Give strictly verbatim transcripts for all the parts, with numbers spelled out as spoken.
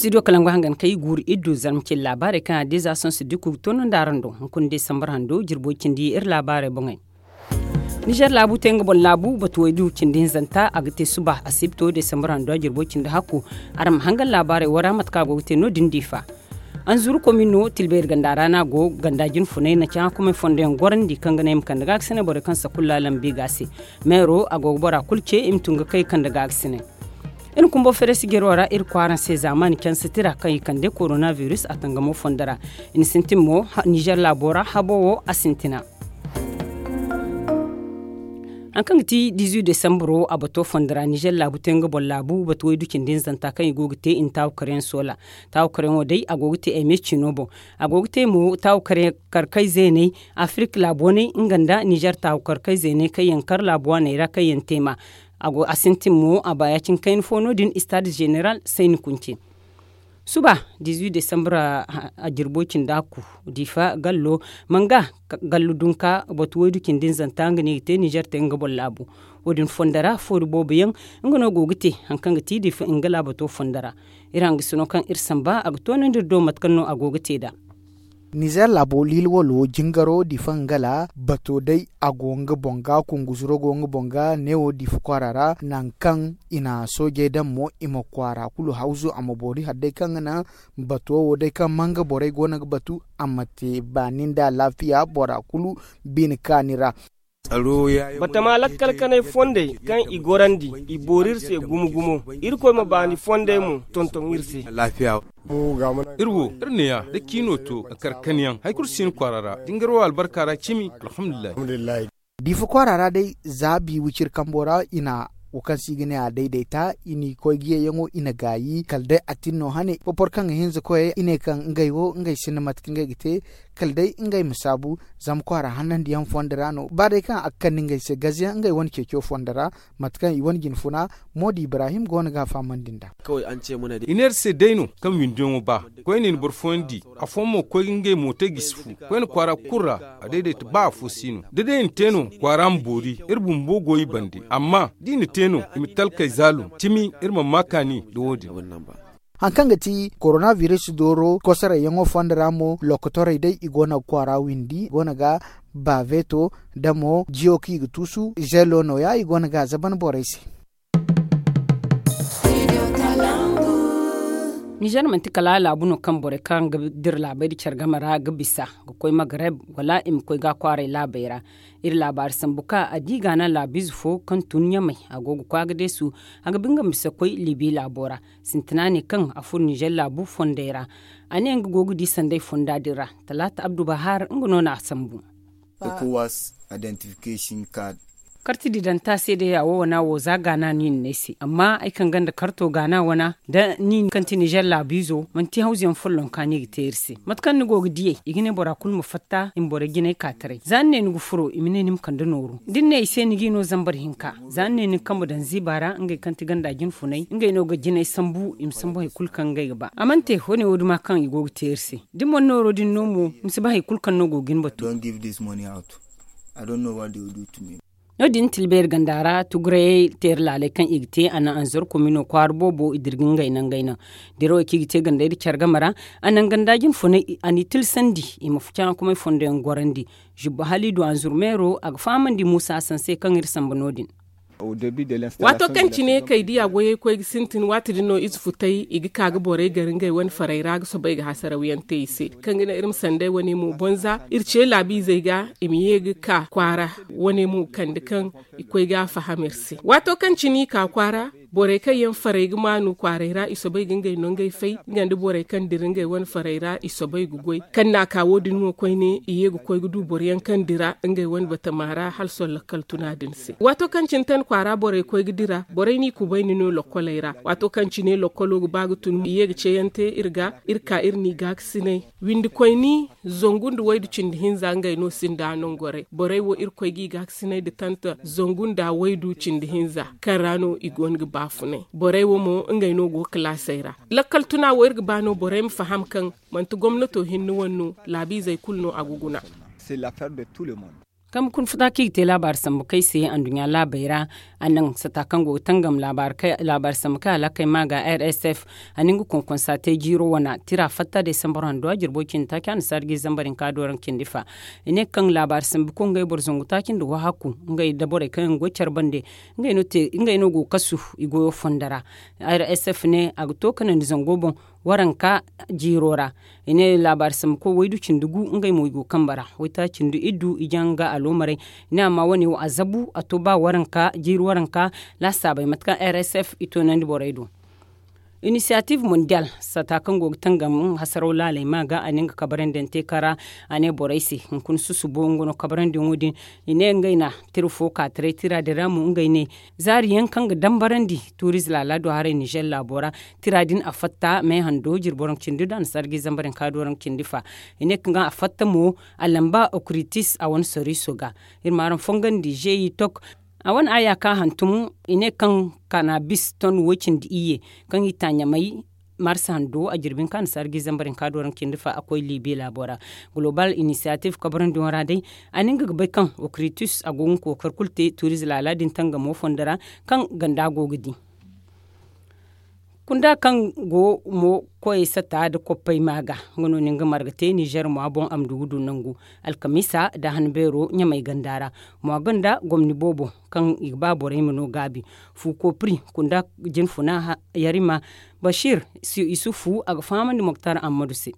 Studio kalangu hangan kay guuru iddu zarma cindi laabaarey kaŋ a diza sonsu dikku ga toonandi araŋ do hunkuna desambar hando jirbo cindi iri laabaarey boŋey. Nizer laabu te nga boŋ laabu batu waydu cindi hinzanta a ga te suba asibto desambar hando a jirbo cindi hakku. Araŋ ma hangan laabaarey wara mate kaŋ a go ga te no- din diifa. Anzuru komino tilbayri ganda ra no a go ganda jinfunay na caŋ hukumay fondo yaŋ gorandi kaŋ ga ne i ma kande ga a ga sine borey kaŋ sakulla lambi ga a se. Meero a go ga bora kulu ce i ma tun ga kay kande ga a ga sine. Iri kumbo feresigero ra iri kwaaraŋ se zaamaani canse tira kaŋ i kande korona virus a tangamo fondo ra. I na sintin mo nizer laabo ra habo wo a sintina. Hari kaŋ ga ti dizuwi desambaro a bato fondo ra nizer laabu te nga boŋ laabu batu waydu cindi hinzanta kaŋ i go ga te i na taawu karyaŋ soola. Taawu karyaŋo day a go ga te eme cino boŋ. A go ga te mo taawu karkay zeeney afirik laabu waney nga nda nizer taawu karkay zeeney kaŋ yaŋ kar laabu waaney ra kaŋ yaŋ te ma. A sintin mo a ba ya- cine kayna fo no- din istad zeneral sayni kunce. Suba dizuwi desambra a jirbo cindi hakku diifa gallo manga gallo dunka batu waydu cindi hinzanta nga no i ga te nizer te nga boŋ laabu. Wo- din fondo ra foori boobo yaŋ nga no go ga te hari kaŋ ga ti diifa nga laabato fondo ra. Iri hangasino kaŋ iri samba a ga toonandi iri do mate kaŋ no a go ga te nd'a. Nizer laabo liila walo jingaro diifa nga la bato day a go nga boŋ ga kunguzuro go nga boŋ ga neewo diifa kwaara ra nangu kaŋ i na soojey daŋ mo i ma kwaara kulu hawzu a ma boori hala day kaŋ ga naŋ bato wo day kaŋ manga borey go no ga batu a ma te baani nda alaafiya bora kulu. Bine kaani ra. Batama lakkal kanay fondey kaŋ i gorandi i boori iri se gumo gumo. Irkoy ma baani fondey mo tonton iri se. Iri wo iri neeya da ciino to ga kar kanyaŋ hari kulu si hin kwaara ra da ni gar wo albarka ra cimi. Alhamdulillahi. Diifa kwaara ra day za bi wiciri kambo ra i na wo kaŋ se i ga ne a daydayta i n'i koy ga yeeyaŋo i na gaayi kala day a tin no hane porporo kaŋ ga hinza koyey i ne kaŋ ngey wo ngey sinda mate kaŋ ngey ga te. Kala day ngey ma saabu zama kwaara hanandiyaŋ fondo ra no ba day kaŋ a ga kande ngey se gaze yaŋ ngey wane ceeco fondo ra. Mate kaŋ i wane jinfuna moodi ibrahim go no ga a fahamandi nd'a. I ne iri se day no kaŋ windiyaŋo ba koyne i na boro fooyaŋ di. Afooyaŋ mo ga koy ga ngey mooto gisi fu koyne kwaara kulu ra. A daydayta ba afo si no da day i na te no kwaara ma boori iri bumbo go i bande amma da i na te no i ma talkey zaalum cimi iri mana ma kaani nda wo- din. Hari kaŋ ga ti korona biris dooro kosorey yaŋo fondo ra mo lokotorey day i go no ga kwaara windi i go no ga baaveeto nda mo jiyo kaŋ i ga tuusu zeelo nooya i go no ga a zaban borey se. Nizer manti kala laabu no kaŋ borey kaŋ ga dira laabey nda care game ra ga bisa ga koy magareb wala i ma koy ga a kwaaray laabey ra. Iri laabaari sambu ka a di gaana laabiize fo kaŋ tun ɲamay a go ga koy a ga deesu. A ga ba nga ma bisa koy libi laabo ra. Sintina ne kaŋ a furo nizer laabu fondey ra. A ne nga go ga di sanday fonda din ra. Talaata abdu bahaar nga no na a sambu. Karti didanta seedeya wo wana wo za gaana no i na ne ay se amma ay kaŋ ganda karto gaana wana da ni kaŋ ti nizer laabiizo manti hawzuyaŋ follonka no i ga te iri se mate kaŋ ni go ga diyey i ga ne bora kulu ma fatta i ma borey jinay ka taray za ni ne ni ga furo i ma ne ni ma kande nooru da ni ne i se ni g'i no zambar hinka. Za ni ne ni ga kambe daŋ ziiba ra ngey kaŋ ti ganda jinfunay ngey no ga jinay sambu i ma sambu hari kulu kaŋ ngey ga ba a mana te wane wo- duma kaŋ i go ga te iri se. Da ni mana nooro din no mo ni si ba hari kulu kaŋ no go ga ni batu. No- din tilbeeri ganda ra tugurayey teeri laaley kaŋ i ga te a naŋ anzor komino kwaara boobo i dira ga ngey naŋ ngey naŋ. Dirawey kaŋ i ga te gandey nda care game ra a naŋ ganda jinfunay a n'i tilsandi i ma caŋakumay fondoyaŋ gorandi. Zubba haliidu anzur meero a ga fahamandi muusa hasan se kaŋ iri samba no- din. Waato kaŋ cine kay diya goyey koy ga sintin waati din no ize futay i ga ka ga borey gar ngey wane farey ra ga soobay ga hasarawyaŋ te i se kaŋ ga naŋ iri ma sanday wane mo bonza iri ce laabiizey ga i ma ye ga ka kwaara. Wane mo kande kaŋ i koy ga a faham iri se waato kaŋ cine i ka kwaara borey kaŋ yaŋ farey ga maanu kwaaray ra i soobay ga ngey nongey fay nga nda borey kaŋ dira ngey wane farey ra i soobay ga goy kaŋ n'a ka wo- din mo koyne i ye ga koy ga du boroyaŋ kaŋ dira ngey wane batama ra hala sohõ lakkal tuna din se waato kaŋ cine tan kwaara borey koy ga dira borey n'i kubayni no lokkoley ra waato kaŋ cine lokkolo ga ba ga tun i ye ga ceeyaŋ te iri ga iri ka iri n'i gaakasinay windi koyni. Zangu nda waydu cindi hinza ngey no sinda nongoray borey wo irkoy g'i gaakasinay nda tanta zangu nda waydu cindi hinza kaŋ ra no i go no ga baafunay borey wo mo ngey no go ga kalaasey ra. Lakkal tuna wo iri ga ba no borey ma faham kaŋ manti gomnato hinne wane no laabiizey kulu no a ga guna. Kambe kuna futa kaŋ i ga te laabaari sambu kay se anduɲɲa laabey ra. A naŋ sata kaŋ go ga tangam laabaari sambu kay alakey ma ga r s f. A na nga konkonsa te jiiro wana tira fatta desambar hando a jirbo cindi taaci a na saara ga i zambar hinka dooraŋ cindi fa. I ne kaŋ laabaari sambu kaŋ ngey boro zangu taaci nda wahakku ngey da borey kaŋ yaŋ go care bande. Ngey no go ga kasu i goyo fondo ra. R s f ne a ga to kanandi zango boŋ waranka jiiro ra. I ne laabaari sambu koy waydu cindi gu ngey mo i go kambe ra waytaaci nda iddu ijanga aloomarey. I ne amma wane wo a zabu a to ba waranka jiiri waranka laasaabey mate kaŋ r s f i toonandi borey do. Inisiyatif mondiyal sata kaŋ go ga tangam hasaraw laaley ma ga a ne nga kabarandiyaŋ te kara. A ne borey se hunkuna susubo nga no kabarandiyaŋo din. I ne ngey na tira fo ka taray tira din ra mo ngey ne zaari yaŋ kaŋ ga dambarandi tuuriize laala do haray nizer laabo ra. Tira din a fatta me hando jirbo raŋ cindi da a na sarji zambar hinka do raŋ cindi fa. I ne kaŋ a fatta mo a lamba okritis a wane soriiso ga. Iri ma araŋ fongandi zeeyi tok a wane aya ka hantum. I ne kaŋ kanabis ton woy cindi iyye kaŋ i ta ɲamay marsa hando a jirbi hinka a na sarji zambar hinka do raŋ cindi fa a koy libi laabo ra. Global inisiyatif kabarandiyaŋo ra day a na nga ga bay kaŋ okritis a go ga kookari kulu te tuuriize laala din tangamo fondo ra kaŋ ganda go ga di. Kunda kaŋ go mo koyey sata nda koppey ma ga nga no ni nga marga te nizer mwa boŋ a ma du ga du nangu alkamiisa nda han beero ɲamay ganda ra. Mwa ganda gomni boobo kaŋ i ga ba borey ma no gaabi fu koopri kunda jinfuna yarima bashir isufu a ga fahamandi moktar ammadu se.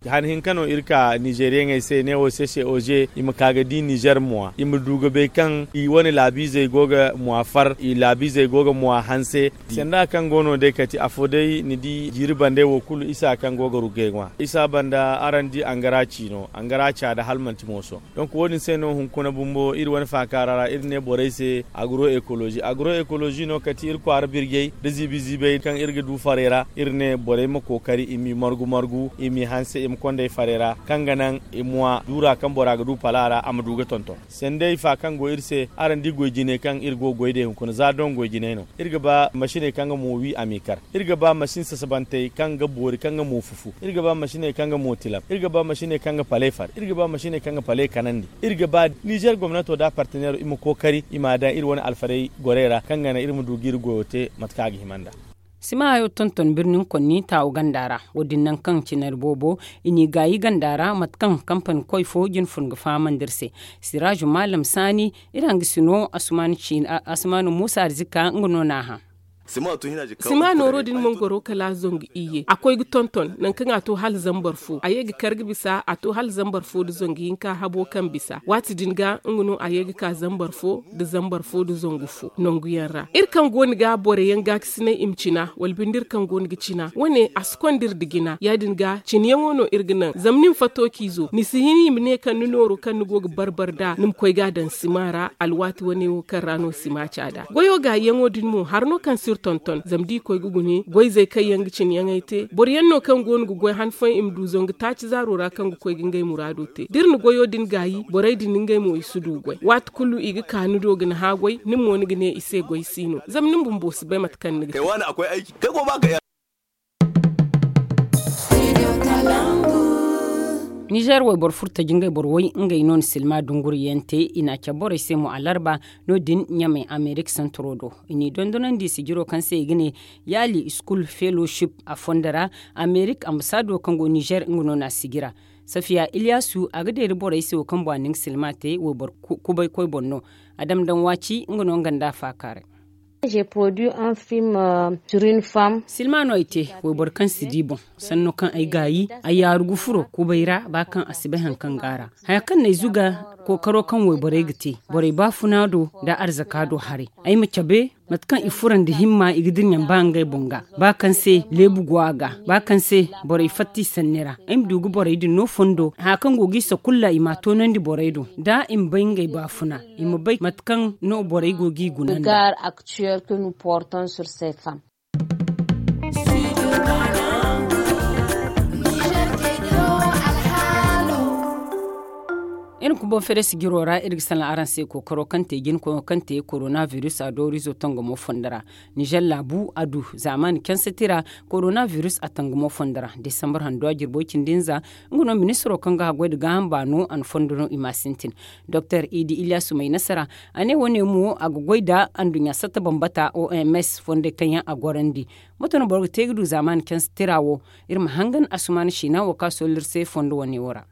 Han hinka no iri ka nizeriyaŋey se ne wo sese oze i ma ka ga di nizer mwa i ma du ga bay kaŋ i wane laabiizey go ga mwa far i laabiizey go ga mwa hanse. Sanda kaŋ go no day kati afo day ni di jiiri bande wo kulu isa kaŋ go ga rugay ŋwa isa banda araŋ di angara ciino angara caada hala manti mooso. Donk wo- din se no hunkuna bumbo iri wane faakaara ra iri ne borey se agro ekolozi agro ekolozi no kati iri kwaara birjey da ziibi ziibey kaŋ iri ga du farey ra iri ne borey ma kookari i m'i margu margu i m'i hanse i ma konda ay farey ra kaŋ ga naŋ i mwa duura kaŋ bora ga du pala ra a ma du ga tonton. Sanday fa kaŋ go iri se araŋ di goy jinay kaŋ iri go ga goy day hunkuna za doŋ goy jinay no. Iri ga ba masiney kaŋ ga mo wi a m'i kar. Iri ga ba masin sasabantey kaŋ ga boori kaŋ ga mo fufu. Iri ga ba masiney kaŋ ga mo tilam iri ga ba masiney kaŋ ga paley far iri ga ba masiney kaŋ ga paley kanandi. Iri ga ba nizer gomnato nda parteneero i ma kookari i m'a daŋ iri wane alfarey gorey ra kaŋ ga naŋ iri ma du ga iri goyo te mate kaŋ a ga hima nd'a. Sima hayo tonton birnin konni taawu ganda ra wo- din naŋ kaŋ cinari boobo i n'i gaayi ganda ra mate kaŋ kampani koy fo jina fun ga fahamandi iri se. Siraazu maalam saani iri hangasino asumaanu muusa arzika nga no n'a hã. Sima nooro din mangoro kala zangu iyye a koy ga tonton nangu kaŋ a to hala zambar fo a ye ga kar ga bisa a to hala zambar fo nda zangu hinka habo kaŋ bisa waati din ga nga no a ye ga ka zambar fo nda zangu fo nangu yaŋ ra iri kaŋ go no ga borey yaŋ gaakasinay i ma cina wala binde iri kaŋ go no ga cina wane a si konda iri nda jina ya- din ga cinayaŋo no iri ga naŋ zama ni ma fato ciizo ni si hin i ma ne kaŋ ni nooro kaŋ ni go ga bar bar nd'a ni ma koy ga a daŋ sima ra alwaati wane wo kaŋ ra no sima caada goyo gaayiyaŋo din mo hari no kaŋ si iri tonton zama da i koy ga gune goyzey kaŋ yaŋ ga cinayaŋey te boro yaŋ no kaŋ go no ga goy han fooyaŋ i ma du zangu taaci zaaro ra kaŋ ga koy ga ngey muraado te da iri na goyo din gaayi borey din ngey mo i si du goy waati kulu i ga ka ni do ga ni hã goy nin mo ni ga ne i se goy si no zama nin bumbo si bay mate kaŋ ni ga te. Nizer wayboro furo taji ngey boro way ngey no na silma dunguriyaŋ te i na a cabe borey se mo alarba no- din ɲamay amerik santoro do i n'i dondonandi sijiro kaŋ se i ga ne yaali school fellowship a fondo ra. Amerik ambasaado kaŋ go nizer nga no na a sijira. Safiya iliyasu a ga deeri borey se wo kaŋ boŋ a na nga silma te wayboro kubay koy boŋ no. A dam daŋ waaci nga no nga nda a faakaaray. Silma no ay te wayboro kaŋ si di boŋ sanno kaŋ ay gaayi ay yaaru ga furo kubay ra ba kaŋ a si bay hari kaŋ go a ra. Haya kaŋ no ay zuga kookaro kaŋ wayborey ga te borey baafuna do nda arzaka do haray ay ma cabe mate kaŋ i furo nda himma i ga dirɲaŋ ba ngey boŋ ga ba kaŋ se leebu go a ga ba kaŋ se borey fatta i sanni ra ay ma du ga borey din no fondo haya kaŋ go ga i sakulla i m'a toonandi borey do da i ma bay ngey baafuna i ma bay mate kaŋ no borey go g'i guna nda. Iri kumbo feere sijiro ra iri ga salaŋ araŋ se kookaro kaŋ te jina koyo kaŋ te korona virus a doorizo tangamo fondo ra. Nizer laabu a du zaamaani canse tira korona virus a tangamo fondo ra desambar handuwa jirbo cindi hinza. Nga no ministiro kaŋ ga haggoy nda gaaham baano a na fondo no i ma a sintin. Doktor idi ilyasu may nasara a ne wo- ne mo a ga goy nda anduɲɲa satta bambata oms fondey kaŋ yaŋ a gorandi. Moto no boro ga te ga du zaamaani canse tira wo. Iri ma hangan asumaana siina wo kaŋ a soolli iri se fondo wo- ne wo ra.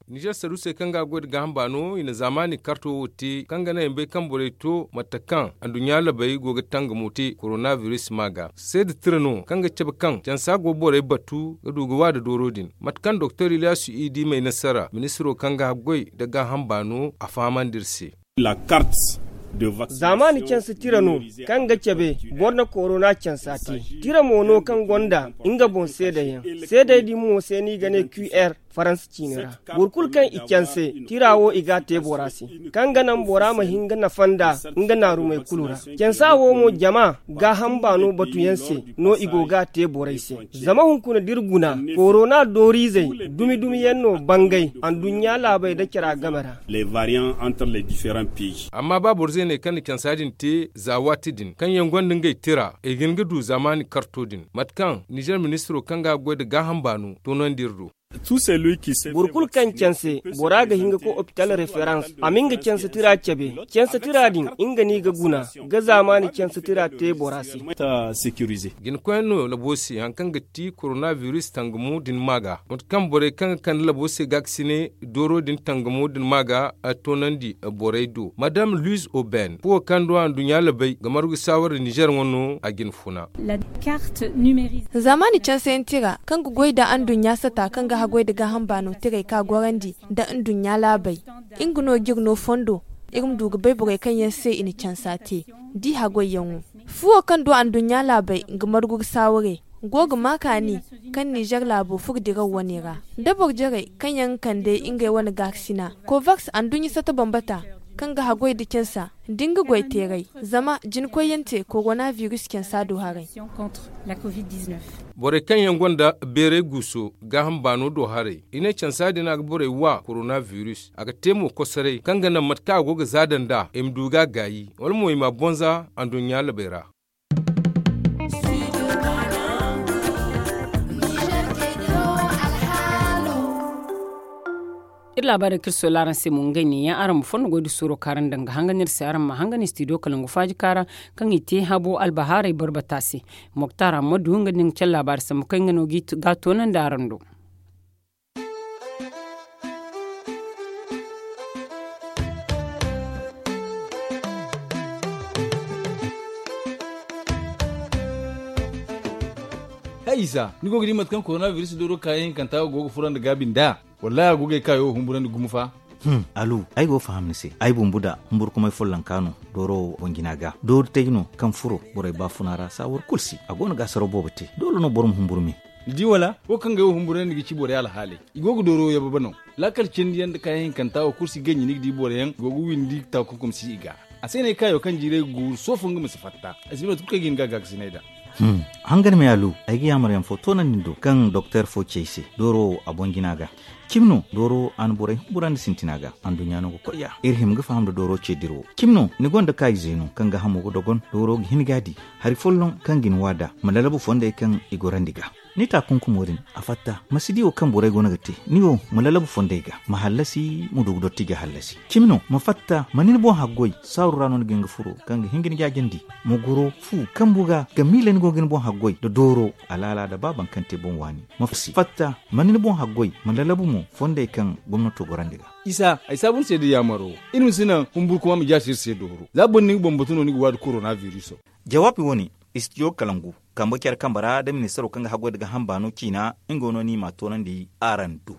Nizer saruusey kaŋ ga a goy nda gaaham baano i na zaamaani karto wo te kaŋ ga naŋ i ma bay kaŋ borey to mate kaŋ anduɲɲa labey go ga tangamo te korona virus ma ga seeda tira no kaŋ ga cabe kaŋ cansa go borey batu ga du ga wa nda dooro din. Mate kaŋ doktor ilyasu idi may nasara ministiro kaŋ ga haggoy nda gaaham baano a fahamandi iri se. Zaamaani canse tira no kaŋ ga cabe boro na korona cansa te. Tira mo no kaŋ gonda nga boŋ seedayaŋ. Seedey din mo se no i ga ne qr faransa ciine ra. Boro kulu kaŋ i canse tira wo i ga a te bora se kaŋ ga naŋ bora ma hin ga nafa nda nga naarumey kulu ra. Cansa wo mo jama gaaham baano batuyaŋ se no i go ga a te borey se. Zama hunkuna da iri guna korona dooriizey dumi dumi yaŋ no bangay anduɲɲa laabey nda cara game ra. Amma ba boro zeeney kaŋ na cansa din te za waati din kaŋ yaŋ gonda ngey tira i ga hin ga du zaamaani karto din mate kaŋ nizer ministiro kaŋ ga a goy nda gaaham baano toonandi iri do. Boro kulu kaŋ canse bora ga hin ga koy opital referans a ma nga canse tira cabe. Canse tira din nga no i ga guna ga zaamaani canse tira te bora se. Jinakoyyaŋ no labo se hari kaŋ ga ti korona virus tangamo din ma ga mate kaŋ borey kaŋ ga kande labo se gaakasine dooro din tangamo din ma ga toonandi borey do madam luis oben fuwo kaŋ do anduɲɲa labey ga margu saawara nizer ŋwa no a jina funa. Zaamaani canseyaŋ tira kaŋ ga goy nda anduɲɲa sata kaŋ ga haggoy nda gaaham baano tirey ka gorandi nda anduɲɲa laabey. Nga no ga iri no fondo iri ma du ga bay borey kaŋ yaŋ se i na cansa te da i haggoyyaŋo. Fuwo kaŋ du anduɲɲa laabey ga margu ga saaware go ga ma kaani kaŋ nizer laabo furo diraw wane ra da boro jarey kaŋ yaŋ ga kande ngey wane gaakasina kovaks anduɲɲa sata bambata kaŋ ga haggoy nda cansa da nga goy teeray. Zama jinakoyyaŋ te korona virus cansa do haray. Borey kaŋ yaŋ gonda beeray guuso gaaham baano do haray i ne cansa din a ga borey wa korona virus a ga te mo kosoray kaŋ ga naŋ mate kaŋ a go ga zaada nd'a i ma du ga a gaayi wala mo i ma a bonza anduɲɲa labey ra. Iri laabaarey kaŋ iri soola araŋ se mo ngey ne yaŋ araŋ ma fondo goy da suuro kaŋ araŋ daŋ ga hangan iri se araŋ ma hangan istidiyo kalangu faaji kaara kaŋ i te habo albahaaray barbata se. Moktar ammadu nga din ga care laabaari sambu kaŋ nga no ga toonandi araŋ do. Hay isa ni go ga di mate kaŋ korona biris dooro kaayaŋ hinkanta go ga furandi gaabi nd'a? Wallahi a go ga ay kaayo humburandi gumo fa. Alu, ay go ga faham ni se. Ay bumbu da humburkumay follonka no dooro boŋ jina ga doori tay no kaŋ furo borey baafuna ra saawar kulu se a go no ga asaraw boobo te doole no boro ma humburu me. Ni di wala wo kaŋ ga ay wo humburandi ga ci borey alhaaley. I go ga dooro yababe no. Laakal cindi yaŋ nda kaayaŋ hinkanta wo kulu si ganji ni ga di boro yaŋ go ga windi taakunkum si i ga. A se no ay kaayo kaŋ jiiray ga guuru soofo nga ma si fatta. Ay si ne mate kulu kaŋ ay ga hin ga a gaakasinay nd'a. Hangan me alu, ay ga yaamar yaŋ fo toonandi ni do kaŋ doktor fo ci ay se dooro wo a boŋ jina ga. Cimi no dooro a na borey humburandi sintina ga. Anduɲɲa no ga koy ya iri hima ga faham nda dooro ce dira wo. Cimi no ni gonda kaayize no kaŋ ga hamo ga dogon dooro ga hin ga a di hari folloŋ kaŋ ga ni wa nd'a ma lalabu fondey kaŋ i gorandi ga. Ni taakunkumo din a fatta ma si di wo kaŋ borey go no ga te. Ni wo ma lalabu fondey ga ma hallasi ma du ga dotti ga hallasi. Cimi no ma fatta ma ni ni boŋ haggoy saaru ra no ni ga hin ga furo kaŋ ga hin ga ni jaajandi. Ma goro fu kambu ga ga miila ni go ga ni boŋ haggoy nda dooro alaala nda ba baŋ kaŋ te boŋ waani. Ma fatta ma ni ni boŋ haggoy ma lalabu mo fondey kaŋ gomnato gorandi ga. Isa ay saabu ni se nda yaamaro. Iri ma si naŋ humburkuma ma jaasi iri se dooro za boro ni ga bambatu no ni ga waadi korona viriso. Jawaabi wo-ne istidiyo kalangu kambe care kambe ra nda ministaro kaŋ ga haggoy nda gaaham baano ciina nga wo no ni m'a toonandi araŋ do.